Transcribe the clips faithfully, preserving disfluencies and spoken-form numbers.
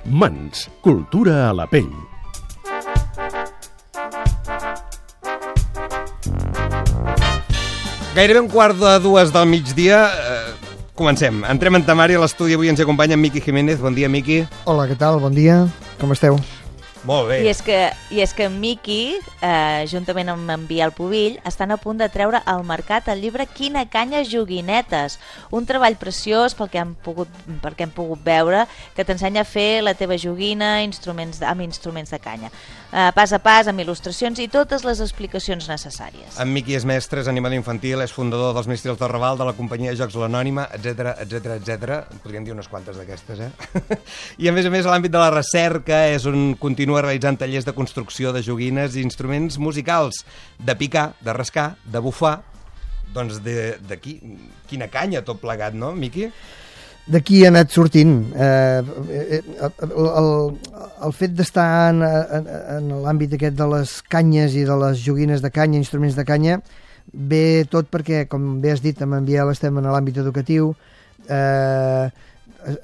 Mans, cultura a la pell. Gairebé un quart de dues del migdia. Eh, comencem. Entrem en temari. A l'estudi avui ens acompanya en Miqui Jiménez. Bon dia, Miqui. Hola, què tal? Bon dia. Com esteu? Molt bé. I és que, i és que en Miqui, eh, juntament amb en Biel Pubill, estan a punt de treure al mercat el llibre Quina canya, joguinetes, un treball preciós pel que hem pogut, perquè hem pogut veure, que t'ensenya a fer la teva joguina instruments, amb instruments de canya. Eh, pas a pas, amb il·lustracions i totes les explicacions necessàries. En Miqui és mestre, és animador infantil, és fundador dels Mestrils del Raval, de la companyia de jocs l'Anònima, etc etc etc. Podríem dir unes quantes d'aquestes, eh? I a més a més, a l'àmbit de la recerca és un continu realitzant tallers de construcció de joguines i instruments musicals, de picar, de rascar, de bufar. Doncs de, de qui, quina canya tot plegat, no, Miqui? D'aquí ha anat sortint. Eh, el, el, el fet d'estar en, en, en l'àmbit aquest de les canyes i de les joguines de canya, instruments de canya, ve tot perquè, com bé has dit, amb en Biel estem en l'àmbit educatiu, eh,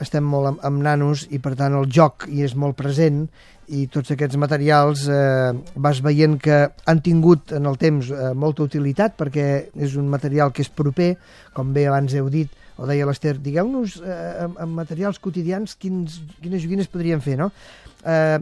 estem molt amb, amb nanos i per tant el joc hi és molt present i tots aquests materials eh, vas veient que han tingut en el temps eh, molta utilitat perquè és un material que és proper, com bé abans heu dit, o deia l'Ester, digueu-nos eh, amb, amb materials quotidians quins, quines joguines podríem fer, no? Eh,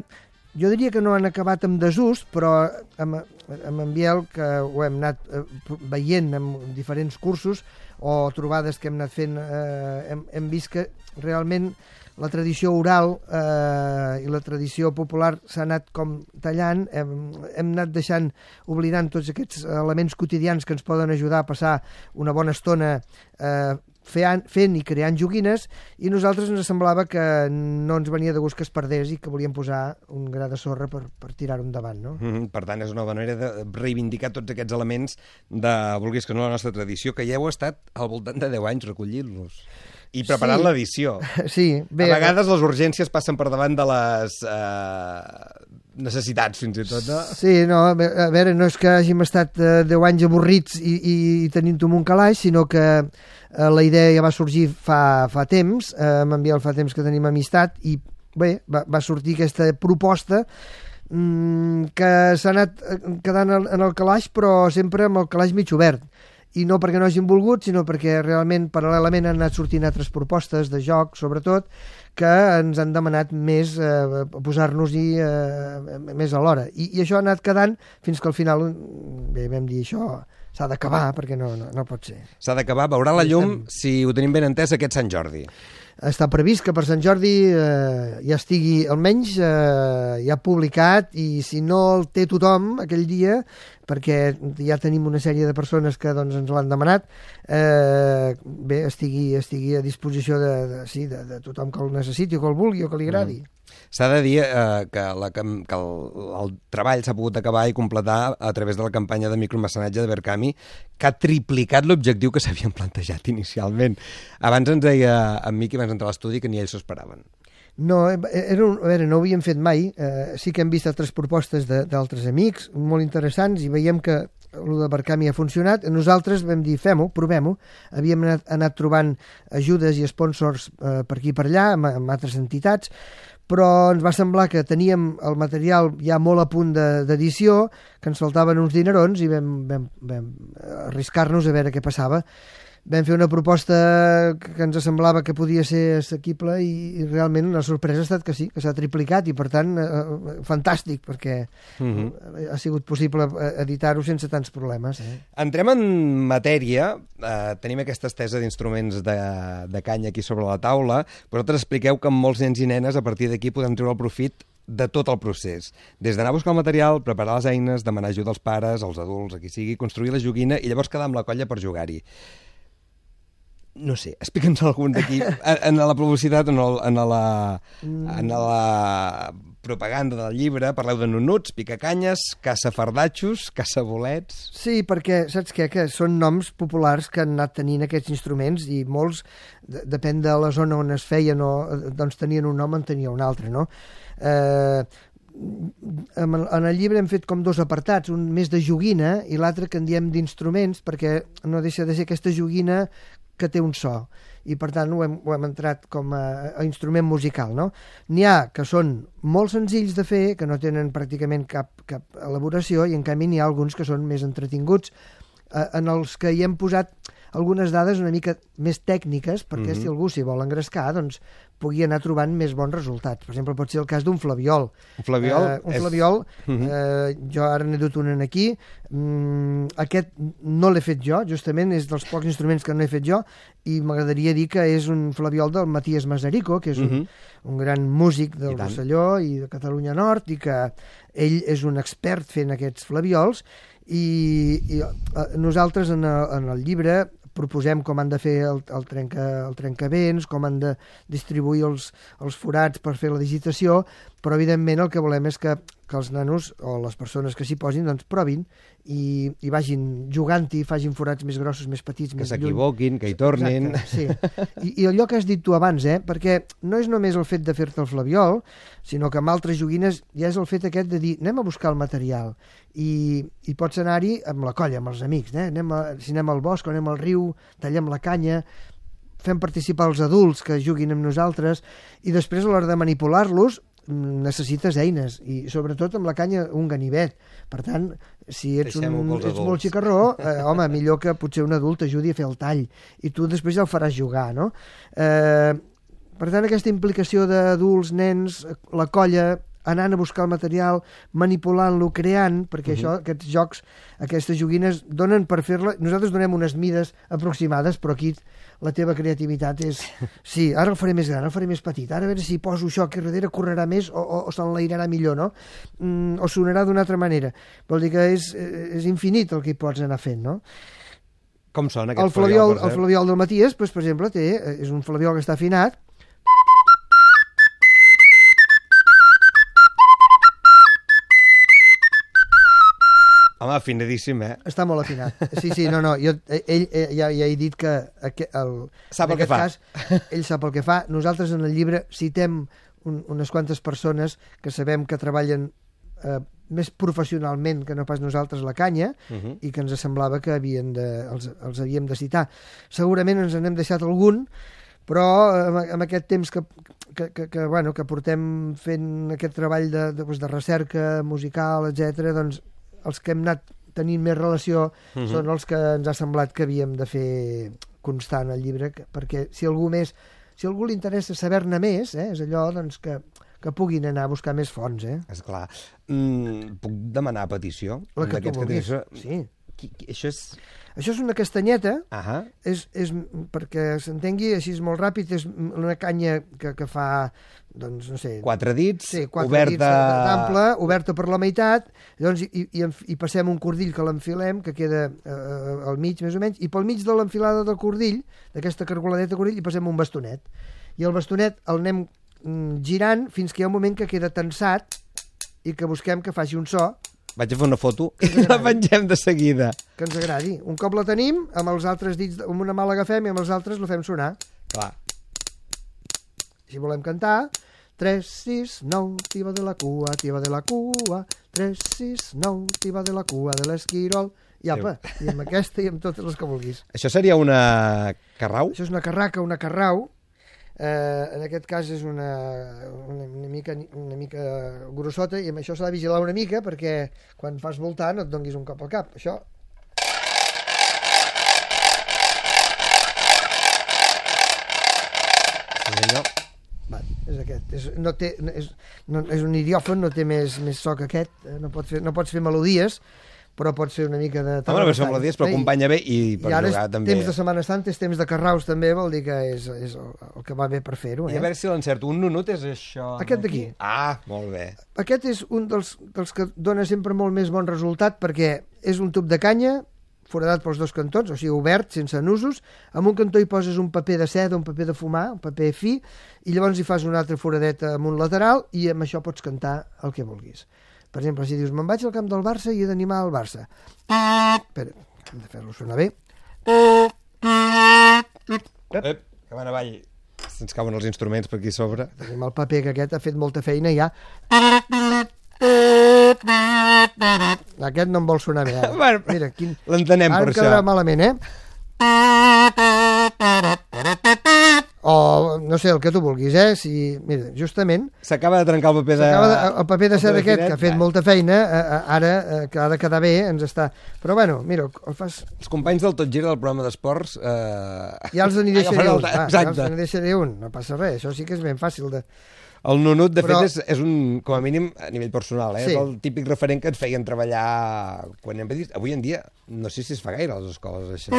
jo diria que no han acabat amb desús, però amb, amb en Biel, que ho hem anat eh, veient en diferents cursos o trobades que hem anat fent, eh, hem, hem vist que realment la tradició oral eh, i la tradició popular s'ha anat com tallant, hem, hem anat deixant, oblidant tots aquests elements quotidians que ens poden ajudar a passar una bona estona eh, fent, fent i creant joguines, i nosaltres ens semblava que no ens venia de gust que es perdés i que volíem posar un gra de sorra per, per tirar-ho endavant, no? Mm-hmm. Per tant, és una bona manera de reivindicar tots aquests elements de, vulguis que no, la nostra tradició, que ja heu estat al voltant de deu anys recollint-los. I preparant sí. l'edició. Sí, bé, a vegades les urgències passen per davant de les eh, necessitats, fins i tot, no? Sí, no, a veure, no és que hàgim estat eh, deu anys avorrits i, i, i tenint-ho en un calaix, sinó que eh, la idea ja va sorgir fa, fa temps, eh, m'envia fa temps que tenim amistat, i bé, va, va sortir aquesta proposta mmm, que s'ha anat quedant en el calaix, però sempre amb el calaix mig obert. I no perquè no hagin volgut, sinó perquè realment paral·lelament han anat sortint altres propostes de joc, sobretot, que ens han demanat més eh, posar-nos-hi eh, més a l'hora. I, I això ha anat quedant fins que al final, bé, vam dir això s'ha d'acabar, perquè no, no, no pot ser. S'ha d'acabar, veurà la llum, si ho tenim ben entès, aquest Sant Jordi. Està previst que per Sant Jordi eh, ja estigui almenys eh, ja publicat, i si no el té tothom aquell dia, perquè ja tenim una sèrie de persones que doncs, ens l'han demanat, eh, bé, estigui, estigui a disposició de, de, sí, de, de tothom que el necessiti o que el vulgui o que li agradi. Mm. S'ha de dir eh, que, la, que el, el treball s'ha pogut acabar i completar a través de la campanya de micromecenatge de Berkami, que ha triplicat l'objectiu que s'havien plantejat inicialment. Abans ens deia en Miqui, abans d'entrar a l'estudi, que ni ells s'ho esperaven. No, era un, a veure, no ho havíem fet mai. Eh, sí que hem vist altres propostes d'altres amics, molt interessants, i veiem que el de Berkami ha funcionat. Nosaltres vam dir, fem-ho, provem-ho. Havíem anat, anat trobant ajudes i sponsors eh, per aquí i per allà, amb, amb altres entitats, però ens va semblar que teníem el material ja molt a punt d'edició, que ens faltaven uns dinerons, i vam, vam, vam arriscar-nos a veure què passava. Vam fer una proposta que ens semblava que podia ser assequible, i, i realment la sorpresa ha estat que sí, que s'ha triplicat, i per tant eh, fantàstic, perquè mm-hmm. ha sigut possible editar-ho sense tants problemes. Eh? Entrem en matèria. Eh, tenim aquesta estesa d'instruments de, de canya aquí sobre la taula, però vosaltres expliqueu que molts nens i nenes a partir d'aquí podem treure el profit de tot el procés. Des d'anar a buscar el material, preparar les eines, demanar ajuda als pares, als adults, a qui sigui, construir la joguina i llavors quedar amb la colla per jugar-hi. No sé, explica'ns algun d'aquí, en la publicitat, en, el, en, la, en la propaganda del llibre, parleu de nunuts, picacanyes, caçafardatxos, caçabolets... Sí, perquè, saps què? Que són noms populars que han anat tenint aquests instruments, i molts, depèn de la zona on es feien, o, doncs tenien un nom, en tenia un altre, no? Eh... En el llibre hem fet com dos apartats, un més de joguina i l'altre que en diem d'instruments, perquè no deixa de ser aquesta joguina que té un so. i per tant ho hem, ho hem entrat com a, a instrument musical, no? N'hi ha que són molt senzills de fer, que no tenen pràcticament cap, cap elaboració, i en canvi n'hi ha alguns que són més entretinguts, eh, en els que hi hem posat algunes dades una mica més tècniques, perquè mm-hmm. si algú s'hi vol engrescar, doncs pugui anar trobant més bons resultats. Per exemple, pot ser el cas d'un flabiol. Un flabiol? Eh, un és... flabiol, mm-hmm. eh, jo ara n'he dut un aquí, mm, aquest no l'he fet jo, justament, és dels pocs instruments que no he fet jo, i m'agradaria dir que és un flabiol del Matías Masarico, que és un, mm-hmm. un gran músic del Rosselló i de Catalunya Nord, i que ell és un expert fent aquests flaviols, i, i eh, nosaltres en el, en el llibre proposem com han de fer el, el, trenca, el trencavents, com han de distribuir els, els forats per fer la digitació, però evidentment el que volem és que, que els nanos o les persones que s'hi posin doncs provin i, i vagin jugant-hi, facin forats més grossos, més petits, que més lluny. s'equivoquin, que hi tornin. Exacte, sí. I, I allò que has dit tu abans, eh? Perquè no és només el fet de fer-te el flabiol, sinó que amb altres joguines ja és el fet aquest de dir anem a buscar el material i, i pots anar-hi amb la colla, amb els amics, eh? anem a, si anem al bosc o anem al riu, tallem la canya, fem participar els adults que juguin amb nosaltres, i després a l'hora de manipular-los necessites eines, i sobretot amb la canya un ganivet. Per tant, si ets, un, ets molt xicarró, eh, home, millor que potser un adult t'ajudi a fer el tall, i tu després ja el faràs jugar, no? Eh, per tant, aquesta implicació d'adults, nens, la colla, anant a buscar el material, manipulant-lo, creant, perquè uh-huh. això, aquests jocs, aquestes joguines, donen per fer-la... Nosaltres donem unes mides aproximades, però aquí la teva creativitat és... Sí, ara el faré més gran, el faré més petit, ara a veure si poso això aquí darrere, correrà més o, o, o s'enlairarà millor, no? Mm, o sonarà d'una altra manera. Vol dir que és, és infinit el que hi pots anar fent, no? Com sona aquest el flabiol? flabiol, el flabiol del Matías, doncs, per exemple, té, és un flabiol que està afinat, home, afinadíssim, eh? Està molt afinat. Sí, sí, no, no. Jo, ell, ell ja, ja he dit que el, sap el que fa. Cas, ell sap el que fa. Nosaltres en el llibre citem un, unes quantes persones que sabem que treballen eh, més professionalment que no pas nosaltres la canya, uh-huh. i que ens semblava que havien de, els, els havíem de citar. Segurament ens n'hem deixat algun, però amb, amb aquest temps que, que, que, que, bueno, que portem fent aquest treball de, de, de recerca musical, etcètera, doncs els que hem anat tenint més relació uh-huh. són els que ens ha semblat que havíem de fer constant el llibre, que, perquè si algú més, si algú li interessa saber-ne més, eh, és allò doncs, que, que puguin anar a buscar més fonts. Eh? Esclar. Mm, puc demanar petició? La que tu vulguis, sí. Qui, qui, això és... Això és una castanyeta, uh-huh. és, és, perquè s'entengui així és molt ràpid, és una canya que, que fa, doncs, no sé... Quatre dits, sí, quatre oberta... dits d'ample, oberta per la meitat, llavors i, i, i passem un cordill que l'enfilem, que queda eh, al mig, més o menys, i pel mig de l'enfilada del cordill, d'aquesta cargoladeta de cordill, hi passem un bastonet. I el bastonet el anem mm, girant fins que hi ha un moment que queda tensat i que busquem que faci un so. Vaig a fer una foto i la pengem de seguida. Que ens agradi. Un cop la tenim, amb els altres dits, amb una mà l'agafem i amb els altres la fem sonar. Clar. Si volem cantar, tres, sis, nou, tiba de la cua, tiba de la cua, tres, sis, nou, tiba de la cua de l'esquirol, i apa, i amb aquesta i amb totes les que vulguis. Això seria una carrau? Això és una carraca, una carrau. Eh, en aquest cas és una, una, una, mica, una mica grossota, i amb això s'ha de vigilar una mica perquè quan fas voltar no et donguis un cop al cap. Això... Va, és aquest. És, no té, és, no, és un idiòfon, no té més, més so que aquest, no pots fer, no pots fer melodies, però pots fer una mica de... Home, no pots fer melodies, però acompanya bé i per I ara jugar també. Temps de Setmana Santa, és temps de carraus també, vol dir que és, és el, el que va bé per fer-ho. Eh? I a veure si l'encerto. Un nunut és això... Aquest d'aquí. Ah, molt bé. Aquest és un dels, dels que dona sempre molt més bon resultat perquè és un tub de canya, foradat pels dos cantons, o sigui, obert, sense nusos. En un cantó hi poses un paper de seda, un paper de fumar, un paper fi, i llavors hi fas una altra foradeta amb un lateral i amb això pots cantar el que vulguis. Per exemple, si dius, me'n vaig al camp del Barça i he d'animar el Barça. Espera, hem de fer-lo sonar bé. Ep, que van avall. Se'ns cauen els instruments per aquí sobre. Tenim el paper, que aquest ha fet molta feina ja. Aquest no em vol sonar bé. Eh? Bueno, mira, quin... l'entenem per això. Ara em quedarà malament, eh? o, no sé, el que tu vulguis, eh? Si, mira, justament... S'acaba de trencar el paper de... De, el paper de seda aquest, finet, que ha fet va. molta feina, eh, ara, eh, que ha de quedar bé, ens està... Però bueno, mira, el fas... Els companys del Tot Gira del programa d'esports... Eh... Ja els n'hi deixaré un, Agafaran el- va, ja exacte. els n'hi deixaré un, no passa res, això sí que és ben fàcil de... El Nunut, de Però- fet, és, és un, com a mínim, a nivell personal, eh? Sí. És el típic referent que et feien treballar quan hem dit. Avui en dia, no sé si es fa gaire a les escoles, això.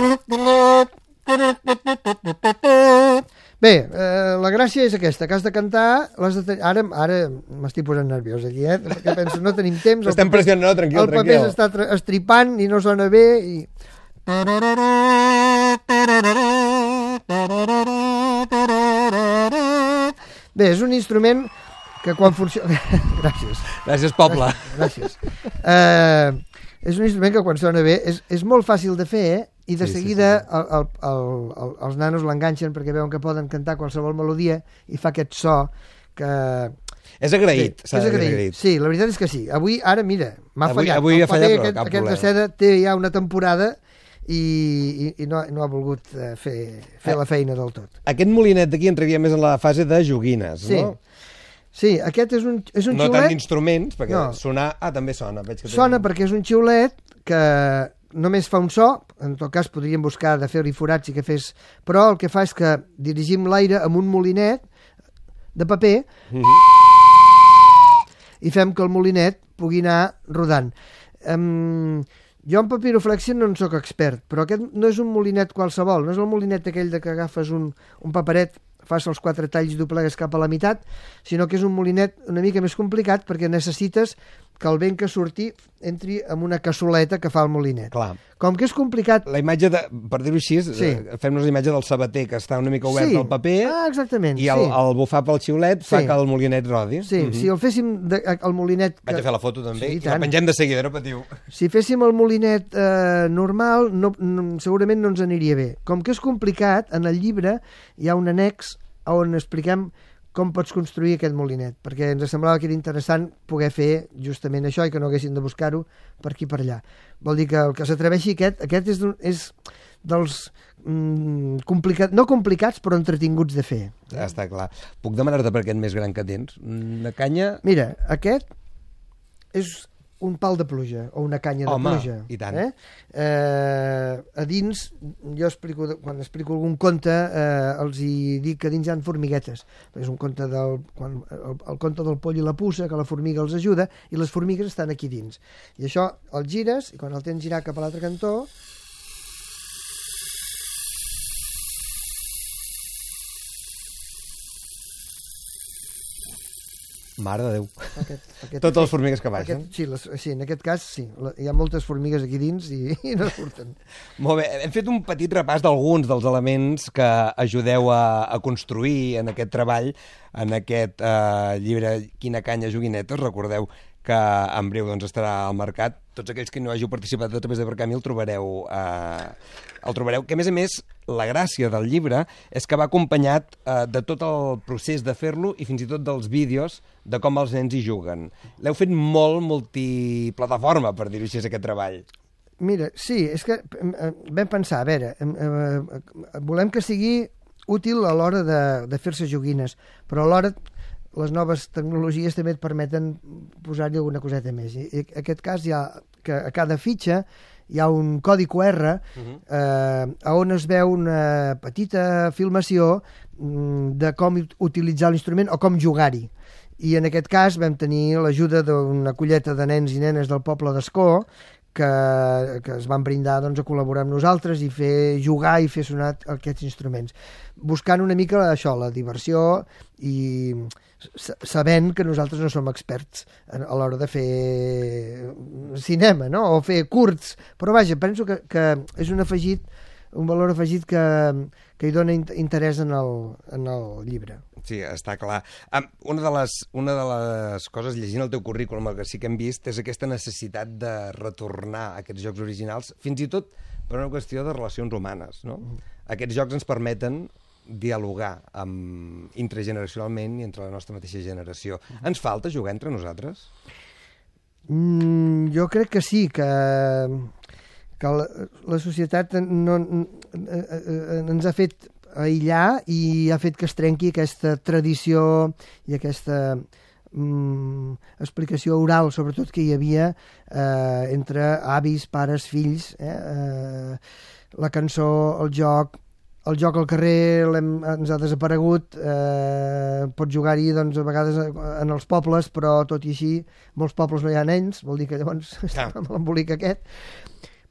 Bé, eh, la gràcia és aquesta, que has de cantar, l'has de ten... ara, ara m'estic posant nerviós aquí, eh? Perquè penso, no tenim temps... el Estem paper- pressionant, no, tranquil, El paper tranquil. s'està tra- estripant i no sona bé i... Bé, és un instrument que quan funciona... Gràcies. Gràcies, poble. Gràcies. Uh, és un instrument que quan sona bé és, és molt fàcil de fer, eh? I de Sí, sí, seguida sí. el, el, el, el, els nanos l'enganxen perquè veuen que poden cantar qualsevol melodia i fa aquest so que... És agraït, Sí, s'ha és de dir agraït. agraït. Sí, la veritat és que sí. Avui, ara, mira, m'ha Avui- fallat. avui El ha fallat, paper però aquest, cap aquest de problema. seda té ja una temporada i, i, i no, no ha volgut eh, fer, fer Eh. la feina del tot. Aquest molinet d'aquí entraria més en la fase de joguines, Sí. no? Sí, aquest és un, és un No tant xiulet... d'instruments, perquè No. sonar... Ah, també sona. Veig que té- Sona perquè és un xiulet que només fa un so, en tot cas podríem buscar de fer-hi forats i que fes... Però el que fa és que dirigim l'aire amb un molinet de paper Mhm. i fem que el molinet pugui anar rodant. Um, jo en papiroflèxia no en sóc expert, però aquest no és un molinet qualsevol, no és el molinet aquell de que agafes un, un paperet, fas els quatre talls i doblegues cap a la meitat, sinó que és un molinet una mica més complicat perquè necessites que el vent que surti entri en una cassoleta que fa el molinet. Clar. Com que és complicat... La imatge, de, per dir-ho així, Sí. eh, fem-nos la imatge del sabater, que està una mica obert Sí. al paper, Ah, exactament, i el, sí. el bufar pel xiulet fa Sí. que el molinet rodi. Sí, Mhm. si el féssim de, el molinet... Vaig que- a fer la foto també, Sí, i i la tant. pengem de seguida, no patiu. Si féssim el molinet eh, normal, no, no, segurament no ens aniria bé. Com que és complicat, en el llibre hi ha un annex on expliquem com pots construir aquest molinet, perquè ens semblava que era interessant poder fer justament això i que no haguessin de buscar-ho per aquí per allà. Vol dir que el que s'atreveixi aquest, aquest és, d'un- és dels mm, complicat, no complicats però entretinguts de fer. Ja està clar. Puc demanar-te per aquest més gran que tens? Una canya... Mira, aquest és un pal de pluja o una canya Home, de pluja. i tant. Eh? Eh, a dins, jo explico, quan explico algun conte, eh, els hi dic que dins hi ha formiguetes. És un conte del, quan, el, el conte del poll i la puça, que la formiga els ajuda, i les formigues estan aquí dins. I això el gires, i quan el tens girat cap a l'altre cantó, Mare de Déu. aquest, aquest, Totes les formigues que baixen. aquest, sí, les, sí, en aquest cas sí, la- hi ha moltes formigues aquí dins i, i no surten. Molt bé, hem fet un petit repàs d'alguns dels elements que ajudeu a, a construir en aquest treball, en aquest eh, llibre Quina canya, joguinetes. Recordeu que en breu doncs, estarà al mercat. Tots aquells que no hàgiu participat a través de Barcamí el trobareu, eh, el trobareu, que a més a més la gràcia del llibre és que va acompanyat eh, de tot el procés de fer-lo i fins i tot dels vídeos de com els nens hi juguen. L'heu fet molt multiplataforma, per dir-ho així, aquest treball. Mira, sí, és que eh, vam pensar, a veure, eh, eh, volem que sigui útil a l'hora de, de fer-se joguines, però alhora les noves tecnologies també et permeten posar-hi alguna coseta més. I, i en aquest cas hi ha, que a cada fitxa hi ha un codi Q R Mhm. eh, on es veu una petita filmació mm, de com ut- utilitzar l'instrument o com jugar-hi. I en aquest cas vam tenir l'ajuda d'una colleta de nens i nenes del poble d'Escó que, que es van brindar doncs, a col·laborar amb nosaltres i fer jugar i fer sonar aquests instruments. Buscant una mica això, la diversió i s- sabent que nosaltres no som experts a a l'hora de fer cinema, no? O fer curts, però vaja, penso que, que és un afegit, un valor afegit que, que hi dona in- interès en el, en el llibre. Sí, està clar. Um, una, de les, una de les coses, llegint el teu currículum, el que sí que hem vist, és aquesta necessitat de retornar a aquests jocs originals, fins i tot per una qüestió de relacions humanes, no? Mm. Aquests jocs ens permeten dialogar amb, intergeneracionalment i entre la nostra mateixa generació. Ens falta jugar entre nosaltres? Mm, jo crec que sí, que, que la, la societat no, eh, eh, ens ha fet aïllar i ha fet que es trenqui aquesta tradició i aquesta mm, explicació oral, sobretot, que hi havia eh, entre avis, pares, fills, eh, eh, la cançó, el joc, el joc al carrer ens ha desaparegut, eh, pots jugar-hi doncs, a vegades en els pobles, però tot i així molts pobles no hi ha nens, vol dir que llavors està amb l'embolic aquest.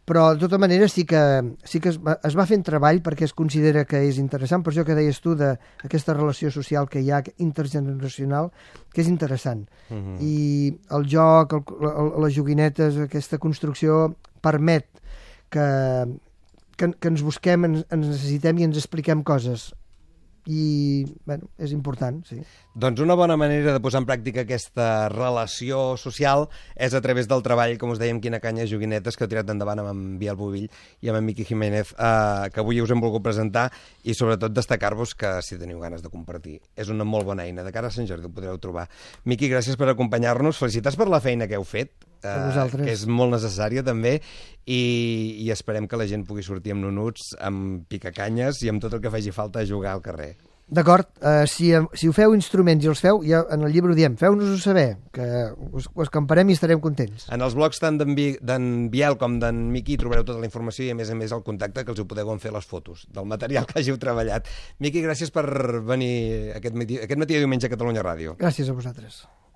Però de tota manera sí que, sí que es, va, es va fent treball perquè es considera que és interessant, per això que deies tu d'aquesta relació social que hi ha intergeneracional, que és interessant. Uh-huh. I el joc, el, el, les joguinetes, aquesta construcció permet que Que, que ens busquem, ens, ens necessitem i ens expliquem coses. I, bueno, és important, sí. Doncs una bona manera de posar en pràctica aquesta relació social és a través del treball, com us dèiem, Quina canya, joguinetes, que heu tirat endavant amb en Biel Bovill i amb en Miqui Jiménez, eh, que avui us hem volgut presentar, i sobretot destacar-vos que, si teniu ganes de compartir, és una molt bona eina. De cara a Sant Jordi ho podreu trobar. Miqui, gràcies per acompanyar-nos. Felicitats per la feina que heu fet, eh, que és molt necessària també, i, i esperem que la gent pugui sortir amb nonuts, amb picacanyes i amb tot el que faci falta a jugar al carrer. D'acord, uh, si, si ho feu instruments i els feu, ja en el llibre ho diem, feu-nos-ho saber, que us, us camparem i estarem contents. En els blogs tant d'en Biel com d'en Miqui trobareu tota la informació i a més a més el contacte, que els ho podeu fer les fotos del material que hàgiu treballat. Miqui, gràcies per venir aquest matí, aquest matí de diumenge a Catalunya Ràdio. Gràcies a vosaltres.